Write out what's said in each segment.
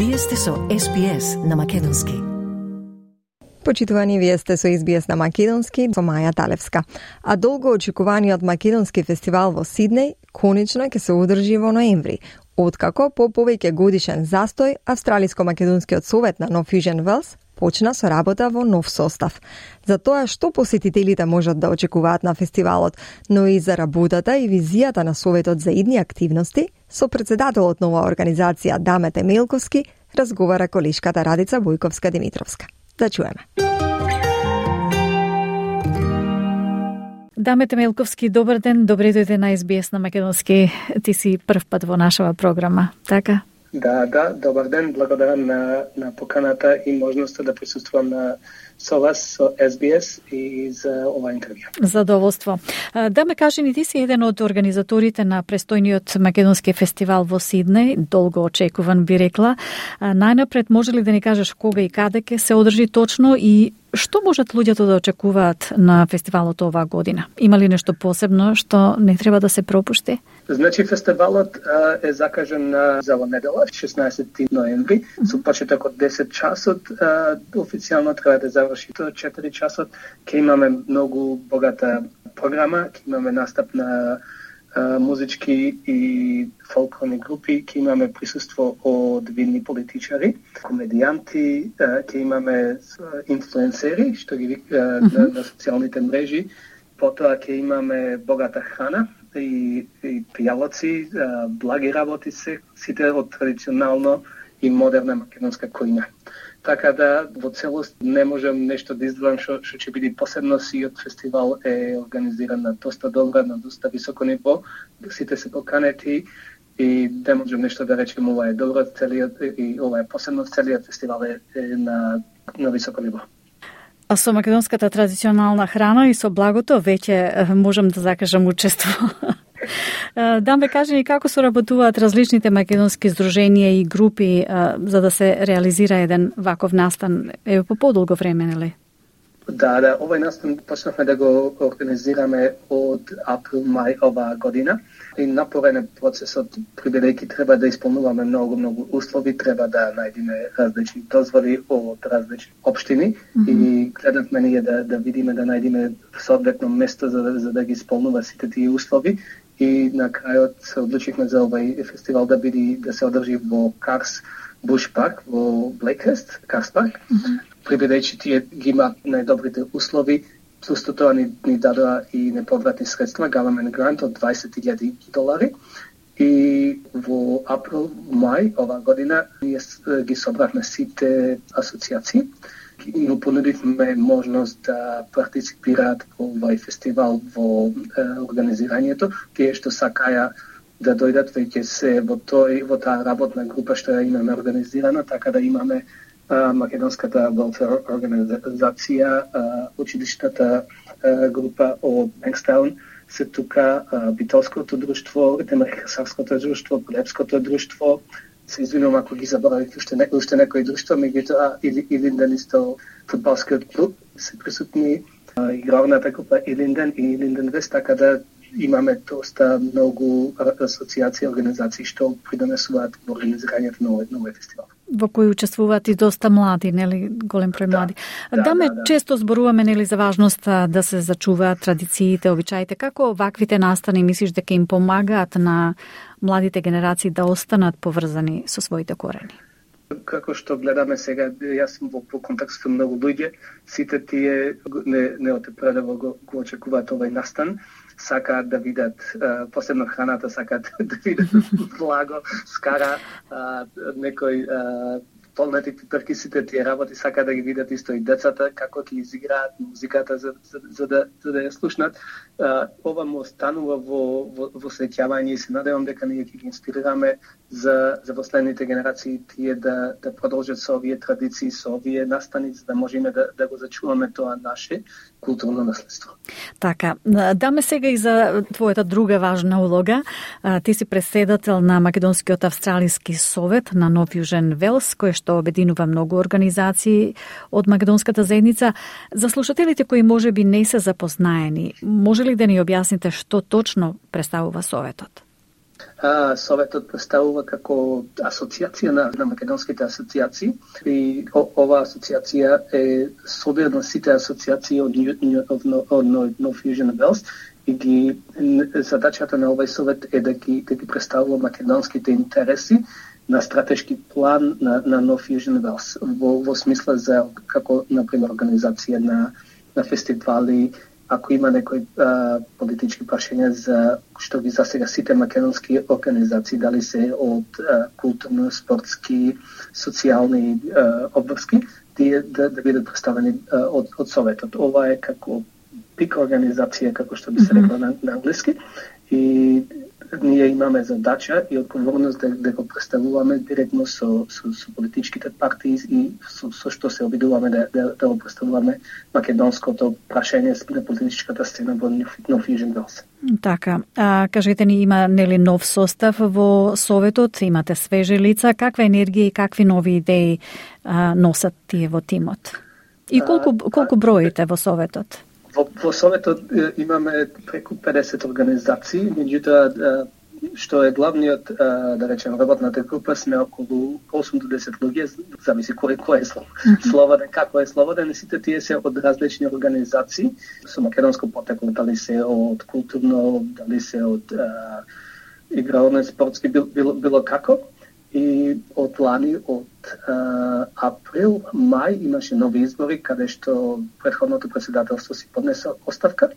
Вие сте со SBS на македонски. Почитувани, вие сте со SBS на македонски со Маја Талевска. А долго очекуваниот македонски фестивал во Сиднеј конечно ќе се одржи во ноември, откако по повеќе годишен застој Австралиско-македонскиот совет на No Fusion Wales почна со работа во нов состав. За тоа што посетителите можат да очекуваат на фестивалот, но и за работата и визијата на советот за идни активности, со председателот на оваа организација Дамете Мелковски разговара колешката Радица Бојковска-Димитровска. Да чуеме. Дамете Мелковски, добар ден, добре дојде на SBS на македонски. Ти си прв пат во нашава програма, така? Да, добар ден, благодарам на поканата и можноста да присуствувам со вас, со SBS и за ова интервју. Задоволство. Да ме кажи ни, ти си еден од организаторите на престојниот македонски фестивал во Сиднеј, долго очекуван би рекла. Најнапред може ли да ни кажеш кога и каде ќе се одржи точно и што можат луѓето да очекуваат на фестивалот оваа година? Има ли нешто посебно што не треба да се пропушти? Значи, фестивалот е закажан за во недела, 16 ноември, со почеток од 10 часот. Официјално треба да заврши до 4 часот. Ќе имаме многу богата програма, ќе имаме настап на музички и фолклорни групи, ќе имаме присуство од видни политичари, комедијанти, ќе имаме инфлуенсери, што ги на социјалните мрежи. Потоа ќе имаме богата храна и пијалоци, благи работи сите од традиционално и модерна македонска којна. Така да, во целост, не можам нешто да издвојам што ќе биде посебно. Сиот фестивал е организиран на доста добро, на доста високо ниво. Сите се поканети и не можам нешто да речем ова е добро, и ова е посебно, целиот фестивал е на високо ниво. А со македонската традиционална храна и со благото веќе можам да закажам учество. Да ме кажи ни како соработуваат различните македонски здруженија и групи за да се реализира еден ваков настан по подолго време, нели? Да, овој настан почнавме да го организираме од април-мај оваа година и напорен е процесот, бидејќи треба да исполнуваме многу услови, треба да најдеме различни дозволи од различни општини и гледавме ние да видиме, да најдеме соодветно место за да ги исполнува сите тие услови. И на крајот се одлучивме за овај фестивал да се одржи во Карс Буш парк во Блейкхерст, Карс парк. Бидејќи тие ги имаат најдобрите услови, плюс тоа ни дадоа и неповратни средства, government grant од $20,000. И во април-мај оваа година ние ги собравме сите асоцијации и им понудивме можност да партиципираат во овај фестивал во организирањето. Тие што сакаја да дојдат веќе се во таа работна група што ја имаме организирана, така да имаме македонската welfare организација, училиштата група од Бенкстаун се тука, Битолското друштво, Демаркасарското друштво, Полепското друштво. Се извинувам ако ги заборавив уште некои друштва, меѓутоа Илинден исто фудбалскиот клуб се присутни, игровната група Илинден и Илинден Вест, така да имаме доста многу асоцијации и организации што придонесуваат во организирањето на овој фестивал. Во кој учествуваат и доста млади, нели, голем број млади. Да. Често зборуваме, нели, за важноста да се зачуваат традициите, обичаите. Како ваквите настани мислиш дека им помагаат на младите генерации да останат поврзани со своите корени? Како што гледаме сега, јас сум во контакт со многу луѓе, сите тие не отепредево го очекуваат овој настан, сакаат да видат посебно храната, сакаат да видат благо, скара, некој полнати пиперки, сите тие работи, сакаат да ги видат исто и децата, како ќе изиграат музиката за да ја слушнат. Ова му останува во сеќавање и се надевам дека ние ќе ги инспирираме за последните генерации тие да продолжат со овие традиции, со овие настани, за да можеме да го зачуваме тоа наше културно наследство. Така, даме сега и за твојата друга важна улога. Ти си председател на Македонскиот австралиски совет на No Fusion Wales, кој што обединува многу организации од македонската заедница. За слушателите кои можеби не се запознаени, може ли да ни објасните што точно представува советот? Советот представува како асоциација на македонските асоциации и ова асоциација е собир на сите асоциации од No Fusion Wells и задачата на овој совет е да ги представува македонските интереси на стратешки план на No Fusion Wells во смисла за како например организација на фестивали, ако има некои политички прашања за што ги засега сите македонски организации, дали се од културно, спортски, социјални обврски, да бидат представени од Советот. Ова е како пик организација, како што би се рекло на англиски, и ние имаме задача и одговорност да го представуваме директно со политичките партии и со што се обидуваме да го представуваме македонското прашање на политичката сцена во No Fusion Wells. Така, кажете ни, има нели нов состав во Советот, имате свежи лица, каква енергија и какви нови идеи носат тие во тимот? И колку броите во Советот? Во Советот имаме преку 50 организации, меѓутоа што е главниот, да речем, работната група, сме околу 8 до 10 луѓе, зависи кој е слободен, како е слободен, сите тие се од различни организации, со македонско потекло, дали се од културно, дали се од игрални, спортски, било како. И од лани, од април, мај, имаше нови избори, каде што претходното председателство си поднесе оставка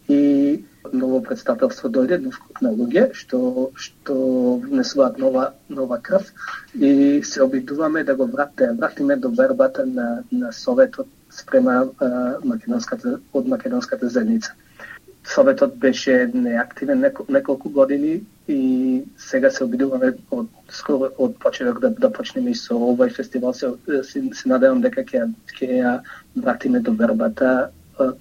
и ново председателство дојде, нов круг на луѓе, што внесуваат нова крв и се обидуваме да го вратиме до вербата на Советот спрема македонската заедница. Советот беше неактивен неколку години и сега се обидуваме од почеток да почнеме и со овој фестивал. Се надевам дека ќе ја вратиме до вербата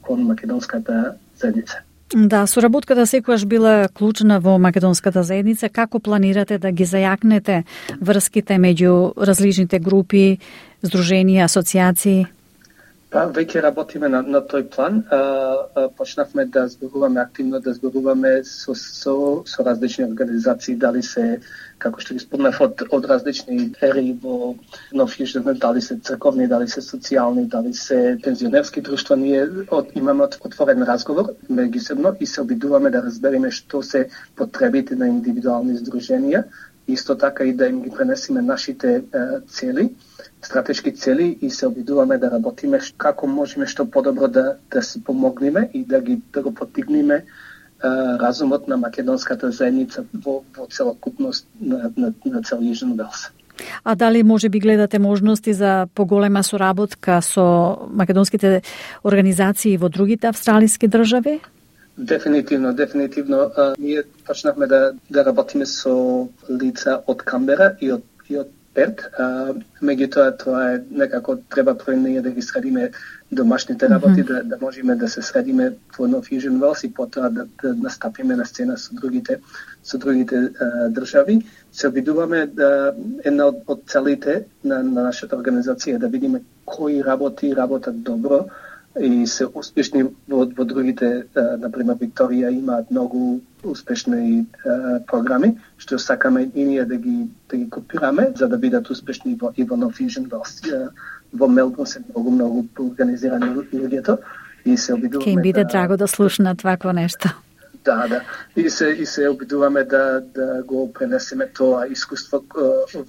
кон македонската заедница. Да, соработката секогаш била клучна во македонската заедница. Како планирате да ги зајакнете врските меѓу различните групи, здруженија, асоциации? Веќе работиме на тој план. Почнавме да зборуваме активно, да зборуваме со различни организации, дали се, како што ги спомнав, од различни ери во No Fusion, дали се црковни, дали се социјални, дали се пензионерски друштва. Ние имаме отворен разговор меѓусебно и се обидуваме да разбереме што се потребите на индивидуални здруженија, исто така и да им ги пренесеме нашите цели, стратешки цели, и се обидуваме да работиме како можеме што подобро да си помогнеме и да го поттикнеме разумот на македонската заедница во целокупност на цел Южен Велс. А дали може би гледате можности за поголема соработка со македонските организации во другите австралиски држави? Дефинитивно. Ние почнавме да работиме со лица од Камбера и од Перт. Меѓутоа, тоа е некако треба прво ние да ги средиме домашните работи, да можеме да се средиме во No Fusion Wells и потоа да настапиме на сцена со другите држави. Се обидуваме една од целите на нашата организација да видиме кои работат добро и се успешни во другите. Например, Викторија имаат многу успешни програми, што сакаме и ние да ги копираме, за да бидат успешни и во No Fusion Wells. Во Мелбурн се многу организирани луѓето и се обидуваме. Ке им биде драго да слушнат вакво нешто. Да. И се обидуваме да го пренесеме тоа искуство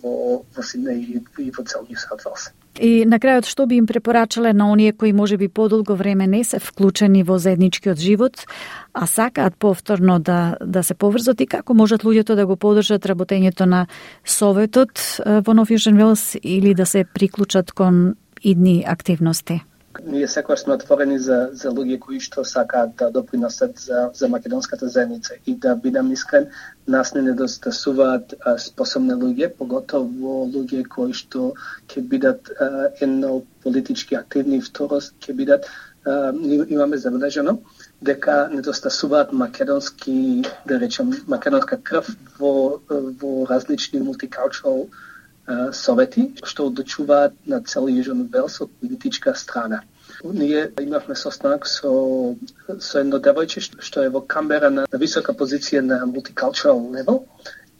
во Сиднеј и во цел Нью Саут Велс. И на крајот, што би им препорачале на оние кои можеби подолго време не се вклучени во заедничкиот живот, а сакаат повторно да се поврзат, и како можат луѓето да го поддржат работењето на Советот во No Fusion Wells или да се приклучат кон идни активности? Ние секогаш сме отворени за луѓе кои што сакаат да допринесат за македонската заедница, и да бидам искрен, нас не недостасуваат способни луѓе, поготово луѓе кои што ќе бидат едно политички активни, второ ќе бидат имаме забележано дека недостасуваат македонски, да речем, македонска крв во различни multicultural совети, што одлучуваат на цел Южен Велс од политичка страна. Ние имавме состанок со едно девојче што е во Камбера на висока позиција на multicultural level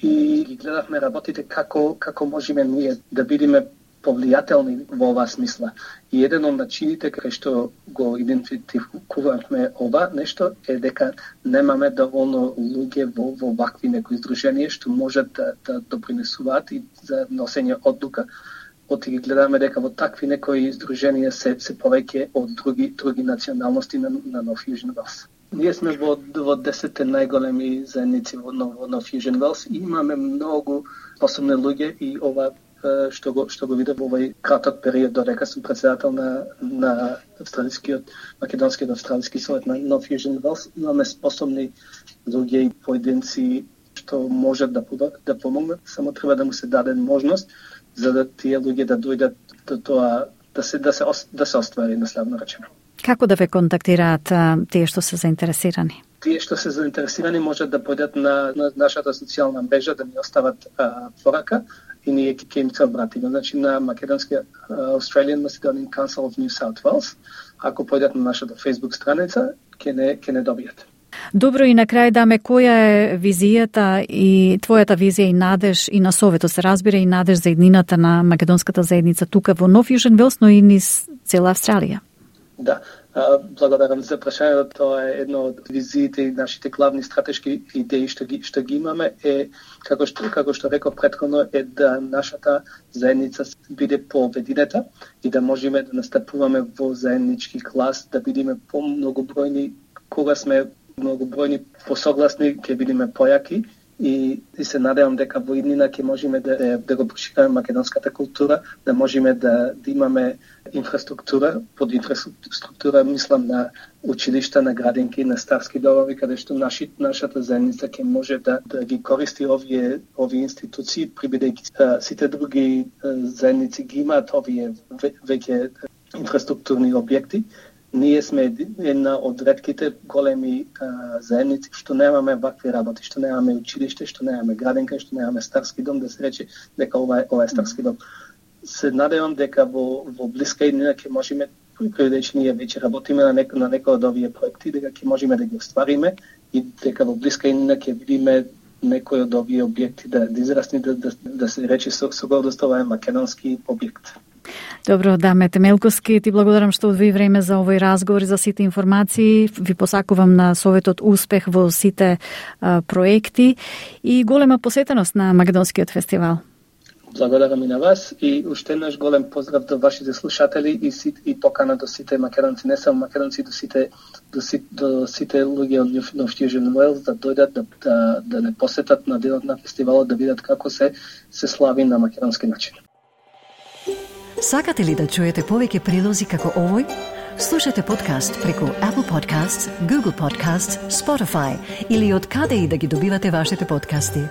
и ги гледавме работите како можеме ние да бидеме повлијателни во оваа смисла. И еден од начините кај што го идентификувавме ова нешто е дека немаме доволно луѓе во вакви некои здруженија што можат да допринесуваат и за носење одлука. Оти ги гледаме дека во такви некои здруженија се повеќе од други националности на Nov Fusion Wells. Ние сме во 10 најголеми заедници во Nov Fusion Wells и имаме многу способни луѓе и ова што го видев во овој краток период додека сум председател на македонскиот австралиски совет на Nov Fusion Wells. Имаме способни луѓе и поединци што можат да помогнат, само треба да му се даде можност за да тие луѓе да дојдат до тоа да се оствари наследно речено. Како да ве контактираат тие што се заинтересирани? Тие што се заинтересирани можат да појдат на нашата социјална мрежа да ни остават порака и ние ќе им се обратиме. Значи на македонскиот Australian Macedonian Council of New South Wales, ако појдат на нашата Facebook страница, ќе не добијат. Добро, и на крај даме, која е визијата и твојата визија и надеж и на Советот, се разбира, и надеж за иднината на македонската заедница тука во Nov Fusion Wells, но и низ цела Австралија? Да, благодарам за прашањето. Тоа е едно од визиите и нашите главни стратешки идеи што ги имаме е како што реков претходно е да нашата заедница биде пообединета и да можеме да настапуваме во заеднички клас, да бидеме помногобројни, кога сме многобројни посогласни, ќе бидеме појаки и се надевам дека во иднина ќе можеме да го прошираме македонската култура, да можеме да имаме инфраструктура, под инфраструктура мислам на училишта, на градинки, на старски домови, каде што нашата заедница ќе може да ги користи овие институции, бидејќи сите други заедници ги имаат овие веќе инфраструктурни објекти. Ние сме една од ретките големи заедници што немаме вакви работи, што немаме училиште, што немаме градинка, што немаме старски дом, да се рече дека ова е старски дом. Се надевам дека во блиска иднина ќе можеме, бидејќи ние веќе работиме на некој од овие проекти, дека ќе можеме да ги оствариме и дека во блиска иднина ќе видиме некој од овие објекти да израсне, да се рече со гордост ова е македонски објект. Добро, Даме Темелковски, ти благодарам што одвои време за овој разговор и за сите информации. Ви посакувам на Советот успех во сите проекти и голема посетеност на Македонскиот фестивал. Благодарам и на вас и уште еднаш голем поздрав до вашите слушатели и покана до сите македонци, не само македонци, до сите луѓе од Nov Fusion Wells да дојдат да не посетат на денот на фестивалот, да видат како се слави на македонски начин. Сакате ли да чуете повеќе прилози како овој? Слушате подкаст преку Apple Podcasts, Google Podcasts, Spotify или од каде и да ги добивате вашите подкасти.